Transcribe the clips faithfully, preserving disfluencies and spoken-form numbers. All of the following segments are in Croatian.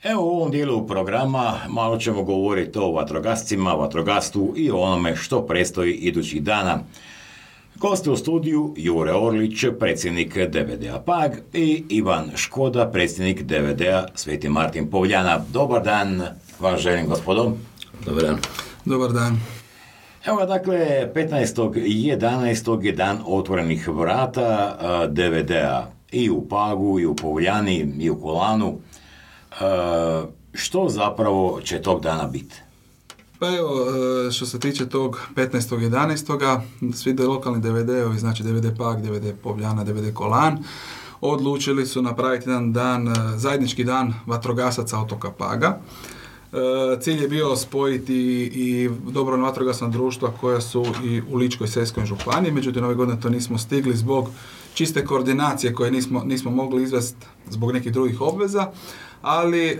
Evo u ovom dijelu programa malo ćemo govoriti o vatrogascima, vatrogastvu i o onome što predstoji idućih dana. Goste u studiju Jure Orlić, predsjednik D V D-a Pag i Ivan Škoda, predsjednik D V D-a Sveti Martin Povljana. Dobar dan vam želim, gospodo. Dobar dan. Dobar dan. Evo dakle, petnaestog jedanaestog je dan otvorenih vrata D V D-a i u Pagu, i u Povljani, i u Kolanu. E, što zapravo će tog dana biti? Pa evo, što se tiče tog petnaestog jedanaestog svi lokalni D V D-ovi, znači D V D Pag, D V D Povljana, D V D Kolan, odlučili su napraviti jedan dan, zajednički dan vatrogasaca otoka Paga. Cilj je bio spojiti i dobrovoljna vatrogasna društva koja su i u Ličko-senjskoj županiji, međutim ove godine to nismo stigli zbog čiste koordinacije koje nismo, nismo mogli izvesti zbog nekih drugih obveza, ali e,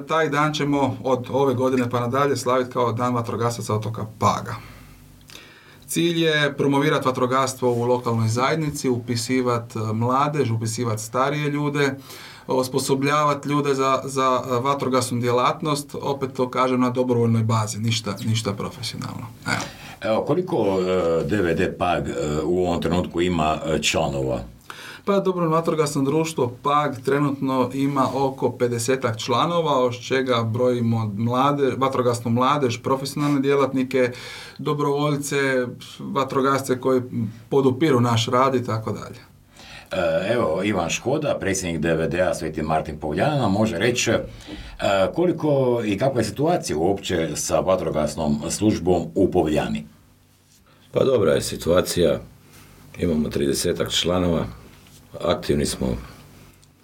taj dan ćemo od ove godine pa nadalje slaviti kao dan vatrogasaca otoka Paga. Cilj je promovirati vatrogastvo u lokalnoj zajednici, upisivati mladež, upisivati starije ljude, osposobljavati ljude za, za vatrogasnu djelatnost, opet to kažem na dobrovoljnoj bazi, ništa, ništa profesionalno. Evo. Evo, koliko uh, D V D Pag uh, u ovom trenutku ima uh, članova? Pa dobrovoljno vatrogasno društvo Pag trenutno ima oko pedesetak članova, od čega brojimo mlade, vatrogasnu mladež, profesionalne djelatnike, dobrovoljce, vatrogasce koji podupiru naš rad i tako dalje. Evo, Ivan Škoda, predsjednik D V D-a Sveti Martin Povljana, može reći koliko i kakva je situacija uopće sa vatrogasnom službom u Povljani? Pa dobra je situacija, imamo tridesetak članova, aktivni smo.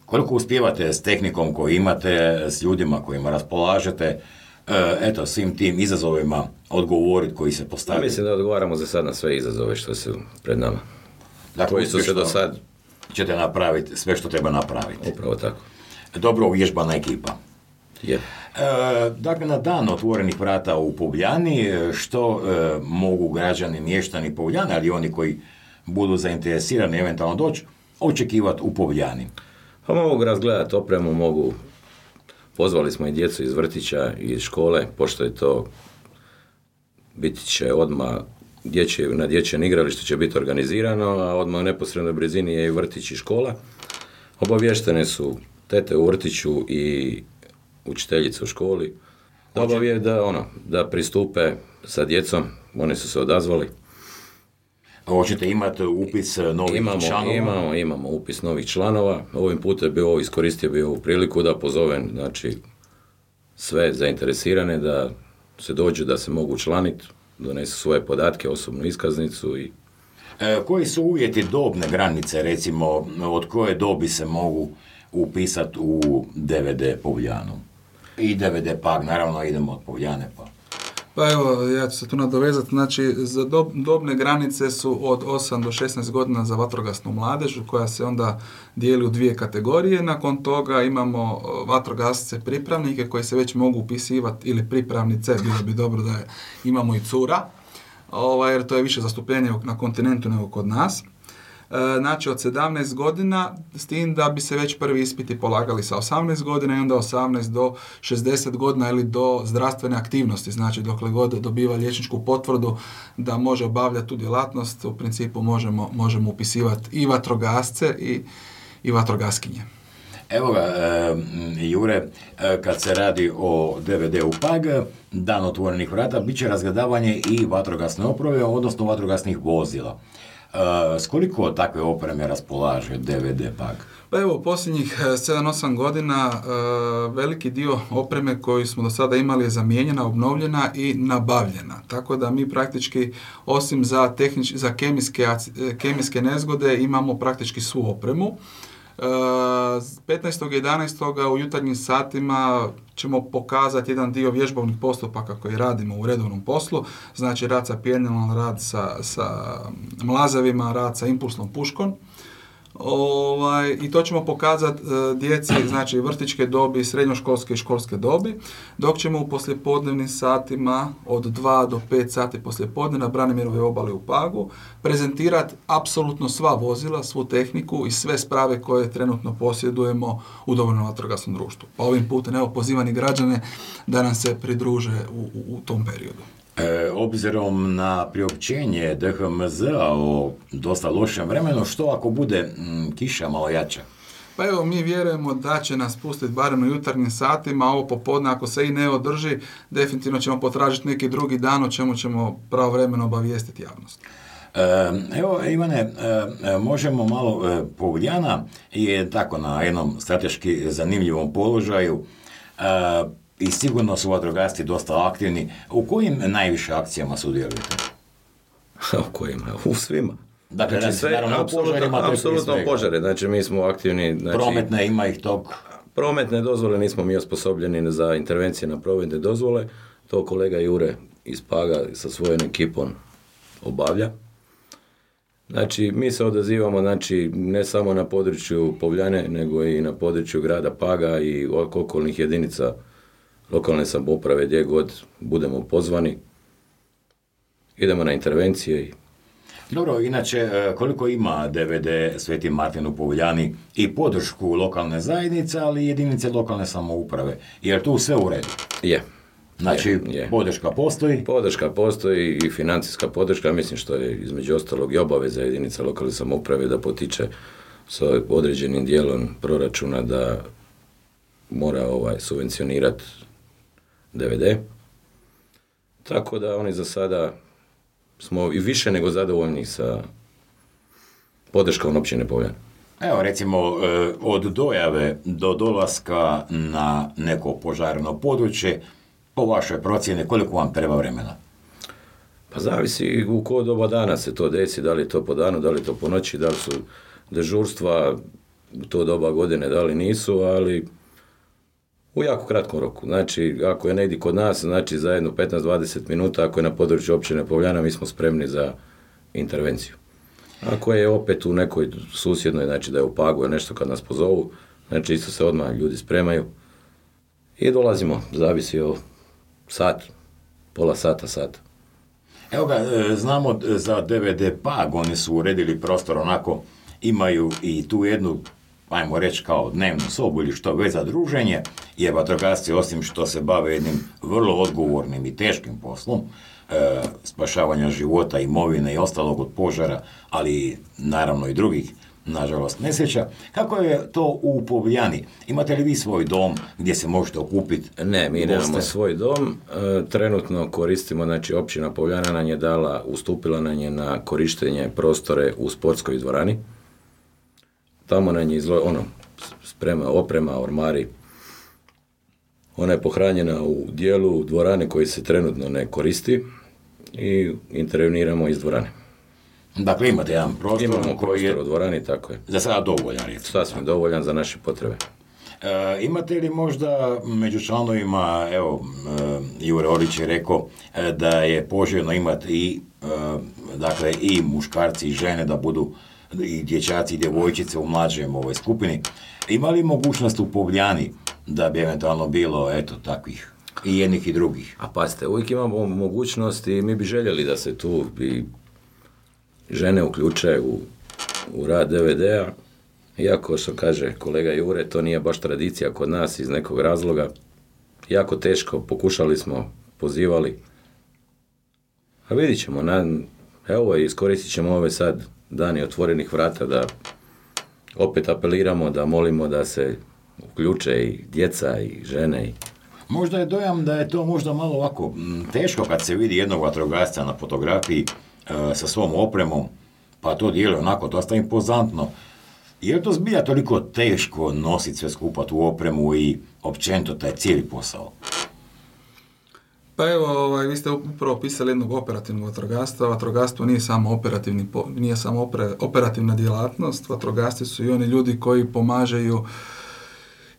Koliko uspijevate s tehnikom koju imate, s ljudima kojima raspolažete, eto, svim tim izazovima odgovoriti koji se postavljaju? Mislim da odgovaramo za sad na sve izazove što su pred nama. Dakle, koji su se do sad... ćete napraviti sve što treba napraviti. Upravo tako. Dobro uvježbana ekipa. Je. E, dakle, na dan otvorenih vrata u Povljani, što e, mogu građani, mještani Povljane, ali oni koji budu zainteresirani eventualno doći, očekivati u Povljani? Pa mogu razgledati opremu, mogu... Pozvali smo i djecu iz vrtića i iz škole, pošto je to biti će odmah dječje, na dječjem igralištu će biti organizirano, a odmah u neposrednoj blizini je i vrtić i škola. Obavještene su tete u vrtiću i učiteljice u školi. Da obavije da, ono, da pristupe sa djecom, oni su se odazvali. Hoćete imati upis novih imamo, članova? Imamo, imamo upis novih članova. Ovim putem bi ovo iskoristio bi ovu priliku da pozovem, znači, sve zainteresirane da se dođu, da se mogu učlaniti, donesu svoje podatke, osobnu iskaznicu i... E, koji su uvjeti dobne granice, recimo, od koje dobi se mogu upisati u D V D Povljanu? I D V D Pag, naravno, idemo od Povljane pa... Pa evo, ja ću se tu nadovezati, znači za dob, dobne granice su od osam do šesnaest godina za vatrogasnu mladež, koja se onda dijeli u dvije kategorije. Nakon toga imamo vatrogasce pripravnike koji se već mogu upisivati, ili pripravnice, bilo bi dobro da je, imamo i cura, ovaj, jer to je više zastupljenje na kontinentu nego kod nas. Znači od sedamnaest godina, s tim da bi se već prvi ispiti polagali sa osamnaest godina i onda osamnaest do šezdeset godina ili do zdravstvene aktivnosti, znači dokle god dobiva liječničku potvrdu da može obavljati tu djelatnost, u principu možemo, možemo upisivati i vatrogasce i, i vatrogaskinje. Evo ga, e, Jure, e, kad se radi o D V D-u Pag, dan otvorenih vrata, bit će razgledavanje i vatrogasne opreme, odnosno vatrogasnih vozila. Uh, s koliko takve opreme raspolaže D V D Pag? Pa evo, posljednjih sedam osam godina uh, veliki dio opreme koju smo do sada imali je zamijenjena, obnovljena i nabavljena. Tako da mi praktički, osim za, tehnič, za kemijske, kemijske nezgode, imamo praktički svu opremu. Uh, petnaestog jedanaestog u jutarnjim satima ćemo pokazati jedan dio vježbovnih postupaka koji radimo u redovnom poslu, znači rad sa pijenilom, rad sa, sa mlazavima, rad sa impulsnom puškom. Ovaj, i to ćemo pokazati e, djeci, znači vrtićke dobi, srednjoškolske i školske dobi, dok ćemo u poslijepodnevnim satima od dva do pet sati poslijepodne na Branimirovoj obali u Pagu prezentirati apsolutno sva vozila, svu tehniku i sve sprave koje trenutno posjedujemo u dobrovoljnom vatrogasnom društvu. Pa ovim putem evo pozivani građane da nam se pridruže u, u, u tom periodu. E, obzirom na priopćenje D H M Z-a o dosta lošem vremenu, što ako bude m, kiša malo jača? Pa evo, mi vjerujemo da će nas pustiti barem u jutarnjim satima, a ovo popodne ako se i ne održi, definitivno ćemo potražiti neki drugi dan o čemu ćemo pravovremeno obavijestiti javnost. E, evo, Ivane, e, možemo malo, e, Povljana je tako na jednom strateški zanimljivom položaju, e, i sigurno su vatrogasci dosta aktivni. U kojim najviše akcijama sudjelujete? U kojima? U svima. Dakle, znači, sve, naravno, apsolutno, požarima, apsolutno požare. Znači, mi smo aktivni. Znači, prometne ima ih tog. Prometne dozvole nismo mi osposobljeni za intervencije na prometne dozvole. To kolega Jure iz Paga sa svojom ekipom obavlja. Znači, mi se odazivamo, znači, ne samo na području Povljane, nego i na području grada Paga i okolnih jedinica lokalne samouprave, gdje god budemo pozvani. Idemo na intervencije. I... Dobro, inače, koliko ima D V D Sveti Martin u Povljani i podršku lokalne zajednice, ali i jedinice lokalne samouprave? Jer tu sve u redu? Je. Znači, je, je. Podrška postoji? Podrška postoji i financijska podrška, mislim što je između ostalog i obaveza jedinica lokalne samouprave da potiče sa određenim dijelom proračuna da mora ovaj subvencionirati D V D. Tako da oni za sada smo i više nego zadovoljni sa podrškom općine Povljana. Evo recimo od dojave do dolaska na neko požarno područje, po vašoj procjeni koliko vam treba vremena? Pa zavisi u koje doba dana se to desi, da li je to po danu, da li je to po noći, da li su dežurstva u to doba godine, da li nisu, ali u jako kratkom roku. Znači, ako je negdje kod nas, znači za jedno petnaest do dvadeset minuta, ako je na području općine Povljana, mi smo spremni za intervenciju. Ako je opet u nekoj susjednoj, znači da je u Pagu nešto kad nas pozovu, znači isto se odmah ljudi spremaju i dolazimo, zavisi o sat, pola sata, sat. Evo ga, znamo za D V D Pag, oni su uredili prostor onako, imaju i tu jednu, ajmo reći kao dnevnu sobu ili što već za druženje, jer vatrogasci osim što se bave jednim vrlo odgovornim i teškim poslom, e, spašavanja života, imovine i ostalog od požara, ali naravno i drugih, nažalost, nesreća. Kako je to u Povljani? Imate li vi svoj dom gdje se možete okupiti? Ne, mi nemamo svoj dom. E, trenutno koristimo, znači općina Povljana nam je dala, ustupila nam je na korištenje prostore u sportskoj dvorani. Tamo nam je izlo, ono, sprema, oprema, ormari. Ona je pohranjena u dijelu dvorane koji se trenutno ne koristi i interveniramo iz dvorane. Dakle, imate jedan prostor. Imamo koji je u dvorani, tako je. Za sada dovoljan, recimo. Sasvim dovoljan za naše potrebe. E, imate li možda među članovima, evo, e, Jure Orlić je rekao e, da je poželjno imati i, e, dakle, i muškarci i žene da budu i dječaci i djevojčice u mlađem ovoj skupini. Ima li mogućnost u Povljani da bi eventualno bilo, eto, takvih i jednih i drugih? A pazite, uvijek imamo mogućnost i mi bi željeli da se tu i žene uključe u, u rad D V D-a. Iako, što kaže kolega Jure, to nije baš tradicija kod nas iz nekog razloga. Jako teško, pokušali smo, pozivali. A vidit ćemo, na, evo, iskoristit ćemo ove sad dani otvorenih vrata da opet apeliramo, da molimo da se uključe i djeca i žene. I... Možda je dojam da je to možda malo ovako teško kad se vidi jednog vatrogasca na fotografiji e, sa svom opremom, pa to djeluje onako dosta impozantno. Je li to zbilja toliko teško nositi sve skupa tu opremu i općenito taj cijeli posao? Pa evo, ovaj, vi ste upravo opisali jednog operativnog vatrogastva. Vatrogastvo nije samo, operativni, nije samo opre, operativna djelatnost. Vatrogasci su i oni ljudi koji pomažaju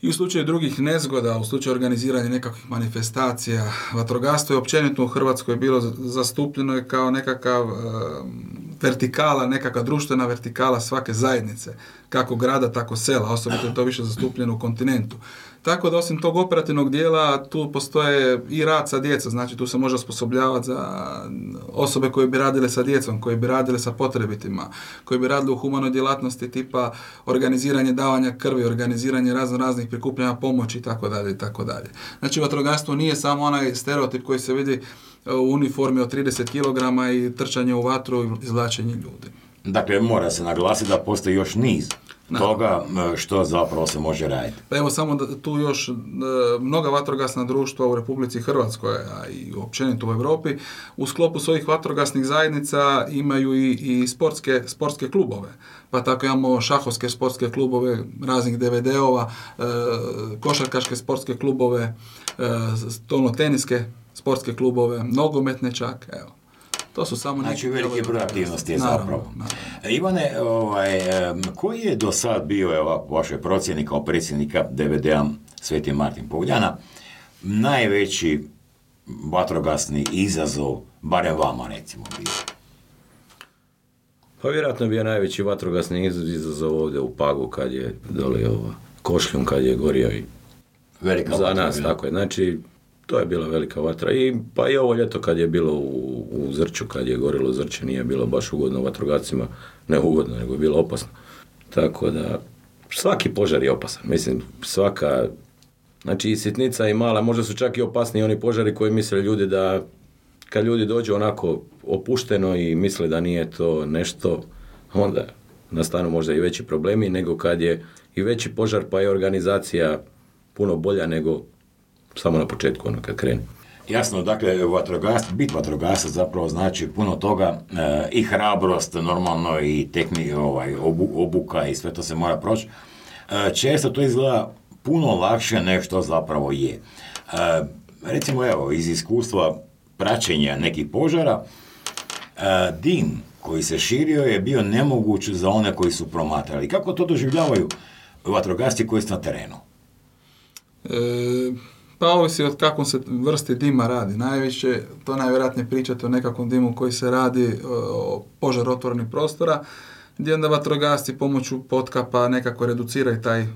i u slučaju drugih nezgoda, u slučaju organiziranja nekakvih manifestacija. Vatrogastvo je općenito u Hrvatskoj bilo zastupljeno je kao nekakav vertikala, nekakva društvena vertikala svake zajednice, kako grada, tako sela, osobito je to više zastupljeno u kontinentu. Tako da osim tog operativnog dijela tu postoje i rad sa djecom, znači tu se može osposobljavati za osobe koje bi radile sa djecom, koje bi radile sa potrebitima, koje bi radile u humanoj djelatnosti tipa organiziranje davanja krvi, organiziranje razno raznih prikupljanja pomoći itd. itd. Znači vatrogastvo nije samo onaj stereotip koji se vidi u uniformi od trideset kilograma i trčanje u vatru i izvlačenje ljudi. Dakle, mora se naglasiti da postoji još niz Da. toga što zapravo se može raditi. Pa evo samo da tu još e, mnoga vatrogasna društva u Republici Hrvatskoj, a i općenito u Europi, u sklopu svojih vatrogasnih zajednica imaju i, i sportske, sportske klubove. Pa tako imamo šahovske sportske klubove, raznih de ve de-ova, e, košarkaške sportske klubove, e, stolnoteniske sportske klubove, nogometne čak, evo. To su samo Znači, neki veliki broj aktivnosti je naravno, zapravo. naravno. Ivane, ovaj, em, koji je do sad bio, evo, po vašoj procjeni kao predsjednika de ve de-a Sveti Martin Povljana, najveći vatrogasni izazov, barem vama recimo bio? Pa vjerojatno bio najveći vatrogasni izazov ovdje u Pagu kad je dole ovo, Košljun kad je gorio i Velika za vatra nas, bila. tako je. Znači, to je bila velika vatra. I, pa i ovo ljeto kad je bilo u, u Zrću, kad je gorilo Zrće, nije bilo baš ugodno vatrogascima, ne ugodno, nego je bilo opasno. Tako da, svaki požar je opasan. Mislim, svaka, znači i sitnica i mala, možda su čak i opasniji oni požari koji misle ljudi da, kad ljudi dođu onako opušteno i misle da nije to nešto, onda nastanu možda i veći problemi nego kad je i veći požar pa je organizacija puno bolja nego samo na početku, ono kad krene. Jasno, dakle, vatrogas, bit vatrogasac zapravo znači puno toga, e, i hrabrost, normalno, i tehni, ovaj, obu, obuka i sve to se mora proći. E, često to izgleda puno lakše nego što zapravo je. E, recimo, evo, iz iskustva praćenja nekih požara, e, dim koji se širio je bio nemoguć za one koji su promatrali. Kako to doživljavaju vatrogasci koji su na terenu? E, pa ovisi od kakvom se vrsti dima radi. Najviše, to najvjerojatnije pričate o nekakvom dimu koji se radi o požar otvorenih prostora, gdje onda vatrogasci pomoću potkapa nekako reduciraju taj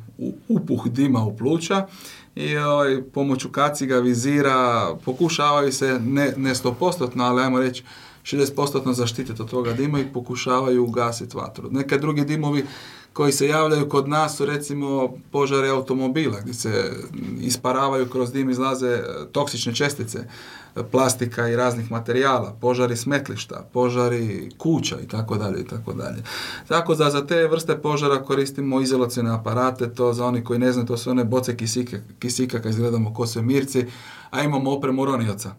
upuh dima u pluća i ovaj, pomoću kaciga, vizira, pokušavaju se ne, ne sto posto, ali ajmo reći šezdeset posto zaštititi od toga dima i pokušavaju ugasiti vatru. Neke drugi dimovi koji se javljaju kod nas su recimo požari automobila gdje se isparavaju, kroz dim izlaze toksične čestice, plastika i raznih materijala, požari smetlišta, požari kuća i tako dalje i tako dalje. Tako da za te vrste požara koristimo izolacione aparate, to za oni koji ne znaju, to su one boce kisike, kisika kad izgledamo ko svemirci, a imamo opremu ronioca.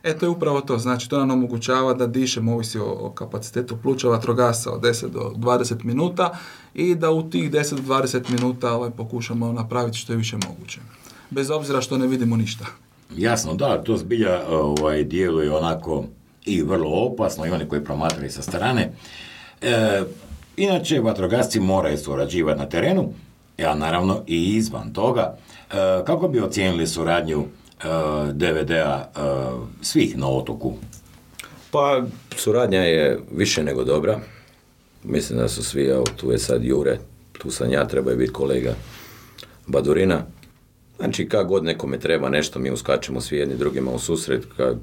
E, to je upravo to, znači to nam omogućava da dišemo, ovisi o, o kapacitetu pluća vatrogasca od deset do dvadeset minuta i da u tih deset do dvadeset minuta ovaj, pokušamo napraviti što je više moguće. Bez obzira što ne vidimo ništa. Jasno, da, to zbilja ovaj, djeluje onako i vrlo opasno, i oni koji promatraju sa strane. E, inače, vatrogasci moraju surađivati na terenu, a naravno i izvan toga. E, kako bi ocijenili suradnju de ve de-a svih na otoku? Pa, suradnja je više nego dobra. Mislim da su svi, evo, tu je sad Jure, tu sam ja, treba je biti kolega Badurina. Znači, kad god nekome treba nešto, mi uskačemo svi jedni drugima u susret. Kad,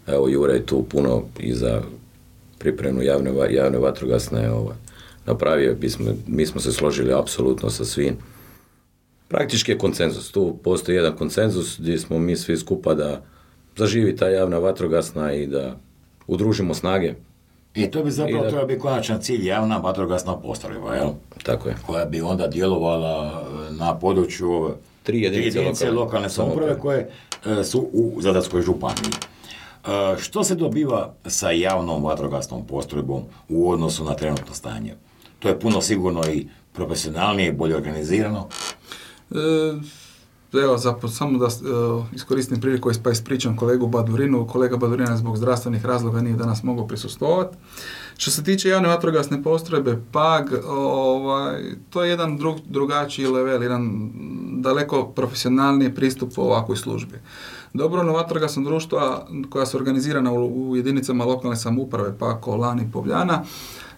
evo, Jure je tu puno i za pripremu javne, javne vatrogasne ovaj, napravio. Mi smo, mi smo se složili apsolutno sa svim. Praktički je konsenzus. Tu postoji jedan konsenzus gdje smo mi svi skupa da zaživi ta javna vatrogasna i da udružimo snage. I to bi zapravo da... trebao biti konačan cilj, javna vatrogasna postrojba, jel? Tako je. Koja bi onda djelovala na području tri jedinice, jedinice lokalne, lokalne samouprave koje e, su u Zadarskoj županiji. E, što se dobiva sa javnom vatrogasnom postrojbom u odnosu na trenutno stanje? To je puno sigurno i profesionalnije, bolje organizirano. E, evo, za, samo da e, iskoristim priliku pa ispričam kolegu Badurinu. Kolega Badurina zbog zdravstvenih razloga nije danas mogao prisustvovati. Što se tiče javne vatrogasne postrojbe, Pag, ovaj, to je jedan drug, drugačiji level, jedan daleko profesionalniji pristup u ovakvoj službi. Dobrovoljno vatrogasno društva koja su organizirana u, u jedinicama lokalne samouprave, pa Kolan i Povljana,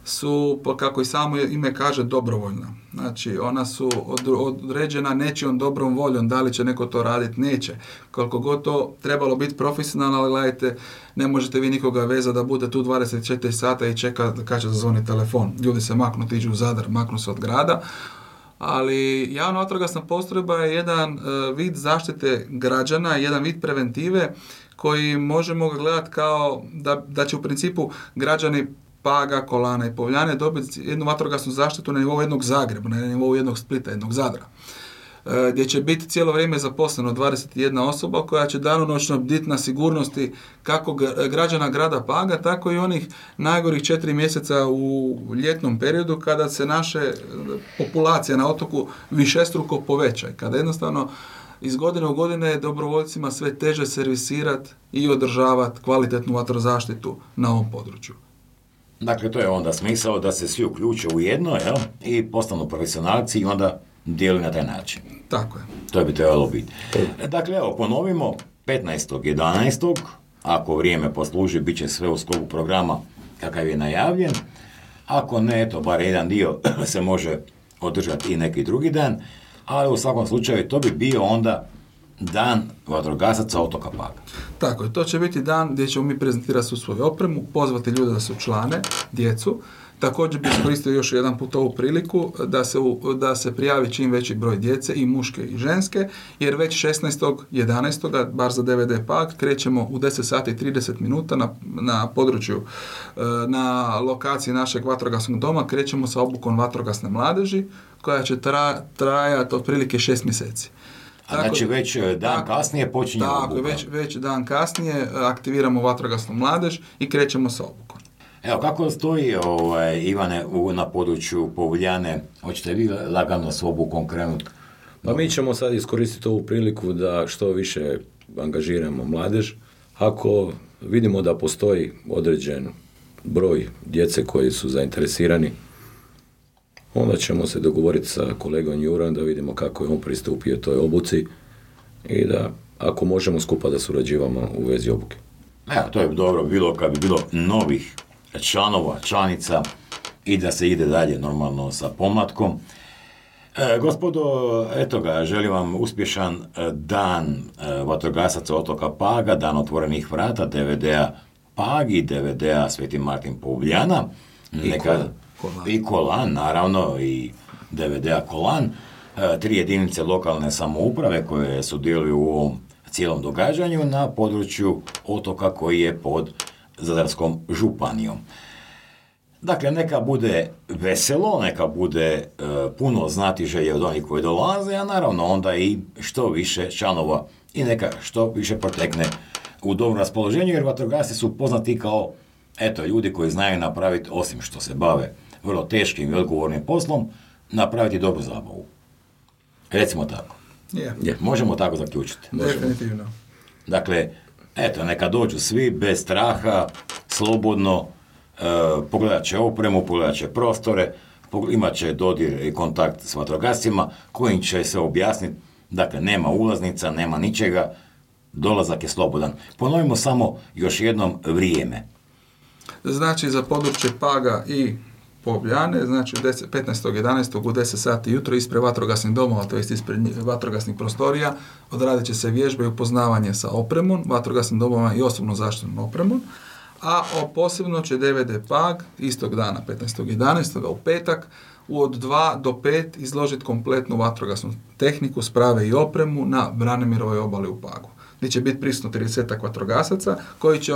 su, kako i samo ime kaže, dobrovoljna. Znači, ona su određena nečijom dobrom voljom, da li će neko to raditi, neće. Koliko god to trebalo biti profesionalno, ali gledajte, ne možete vi nikoga vezati da bude tu dvadeset četiri sata i čeka kad će zazvoni telefon. Ljudi se maknu, tiđu u Zadar, maknu se od grada. Ali javna vatrogasna postrojba je jedan uh, vid zaštite građana, jedan vid preventive koji možemo gledati kao da, da će u principu građani Paga, Kolana i Povljane dobiti jednu vatrogasnu zaštitu na nivou jednog Zagreba, na nivou jednog Splita, jednog Zadra, e, gdje će biti cijelo vrijeme zaposleno dvadeset jedna osoba koja će danonoćno biti na sigurnosti kako građana grada Paga, tako i onih najgorih četiri mjeseca u ljetnom periodu kada se naše populacija na otoku višestruko poveća i kada jednostavno iz godine u godine dobrovoljcima sve teže servisirati i održavati kvalitetnu vatrozaštitu na ovom području. Dakle, to je onda smisao da se svi uključe u jedno, jel? I postanu profesionalci i onda dijeli na taj način. Tako je. To bi trebalo biti. Dakle, evo, ponovimo, petnaestog jedanaestog ako vrijeme posluži, bit će sve u sklopu programa kakav je najavljen. Ako ne, eto, bar jedan dio se može održati i neki drugi dan, ali u svakom slučaju to bi bio onda Dan vatrogasaca otoka Paga. Tako je, to će biti dan gdje ćemo mi prezentirati svu svoju opremu, pozvati ljude da se učlane, djecu. Također bih iskoristio još jedan put ovu priliku da se, da se prijavi čim veći broj djece, i muške i ženske, jer već šesnaestog jedanaestog bar za D V D Pag, krećemo u deset sati i trideset minuta na, na području, na lokaciji našeg vatrogasnog doma, krećemo sa obukom vatrogasne mladeži, koja će tra, trajati otprilike šest mjeseci. A tako, znači već dan tako, kasnije počinje tako, obuka. Već, već dan kasnije aktiviramo vatrogasnu mladež i krećemo sa obukom. Evo, kako stoji, ovaj, Ivane, u, na području Povljane? Hoćete vi lagano s obukom krenuti? Pa mi ćemo sad iskoristiti ovu priliku da što više angažiramo mladež. Ako vidimo da postoji određen broj djece koji su zainteresirani, onda ćemo se dogovoriti sa kolegom Jurom da vidimo kako je on pristupio toj obuci i da, ako možemo, skupa da surađivamo u vezi obuke. Evo, to je dobro bilo kad bi bilo novih članova, članica i da se ide dalje normalno sa pomlatkom. E, gospodo, eto ga, želim vam uspješan dan e, vatrogasaca otoka Paga, dan otvorenih vrata D V D-a Pag i D V D-a Sveti Martin Povljana. Neka, Kolan. I Kolan, naravno, i D V D-a Kolan. E, tri jedinice lokalne samouprave koje sudjeluju u ovom cijelom događanju na području otoka koji je pod Zadarskom županijom. Dakle, neka bude veselo, neka bude e, puno znatiželje od onih koji dolaze, a naravno onda i što više članova i neka što više protekne u dobrom raspoloženju, jer vatrogasci su poznati kao, eto, ljudi koji znaju napraviti, osim što se bave vrlo teškim i odgovornim poslom, napraviti dobru zabavu. Recimo tako. Yeah. Yeah. Možemo tako zaključiti. Definitivno. Dakle, eto, neka dođu svi bez straha, slobodno, e, pogledat će opremu, pogledat će prostore, imat će dodir i kontakt s vatrogascima, kojim će se objasniti, dakle, nema ulaznica, nema ničega, dolazak je slobodan. Ponovimo samo još jednom vrijeme. Znači, za područje Paga i Povljane, znači petnaestog jedanaestog u deset sati jutro ispred vatrogasnih domova, to jest ispred vatrogasnih prostorija, odradit će se vježbe i upoznavanje sa opremom, vatrogasnim domovima i osobno zaštitnom opremom, a posebno će D V D Pag istog dana, petnaestog jedanaestog u petak, od dva do pet izložiti kompletnu vatrogasnu tehniku, sprave i opremu na Branimirovoj obali u Pagu, gdje će biti prisutno tridesetak vatrogasaca koji će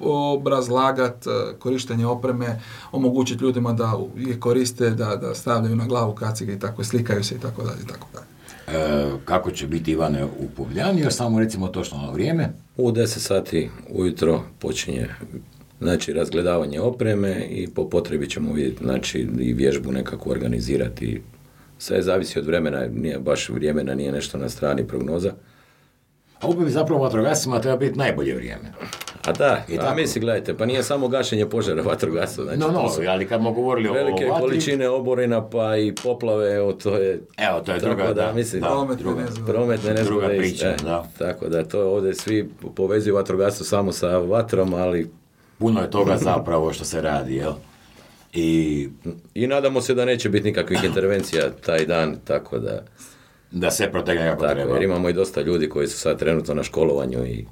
obrazlagati korištenje opreme, omogućiti ljudima da je koriste, da, da stavljaju na glavu kacige i tako, slikaju se i tako dalje i tako dalje. E, kako će biti, Ivane, u Povljani, još samo recimo točno na vrijeme? U deset sati ujutro počinje, znači, razgledavanje opreme i po potrebi ćemo vidjeti, znači, i vježbu nekako organizirati. Sve zavisi od vremena, nije baš vremena, nije nešto na strani prognoza. A upravo zapravo vatrogascima treba biti najbolje vrijeme. A da, a misli, gledajte, pa nije samo gašenje požara vatrogasno. Znači, no, no, ali kad smo govorili o velike vatri, količine oborina, pa i poplave, evo, to je... Evo, to je druga, da, da, mislim, da, prometne druga, nezgode. Prometne nezgode, druga priča, e, da. Tako da, to ovdje svi povezuju vatrogastvo samo sa vatrom, ali... Puno je toga zapravo što se radi, jel? I I nadamo se da neće biti nikakvih intervencija taj dan, tako da... da sve protegne kako Tako, treba. jer imamo i dosta ljudi koji su sad trenutno na školovanju i...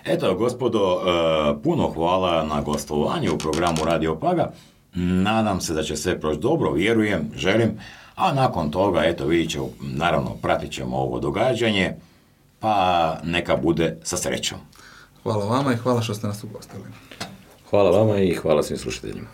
Eto, gospodo, e, puno hvala na gostovanju u programu Radio Paga. Nadam se da će sve proći dobro, vjerujem, želim. A nakon toga, eto, vidit ćemo, naravno, pratit ćemo ovo događanje, pa neka bude sa srećom. Hvala vama i hvala što ste nas ugostili. Hvala vama i hvala svim slušateljima.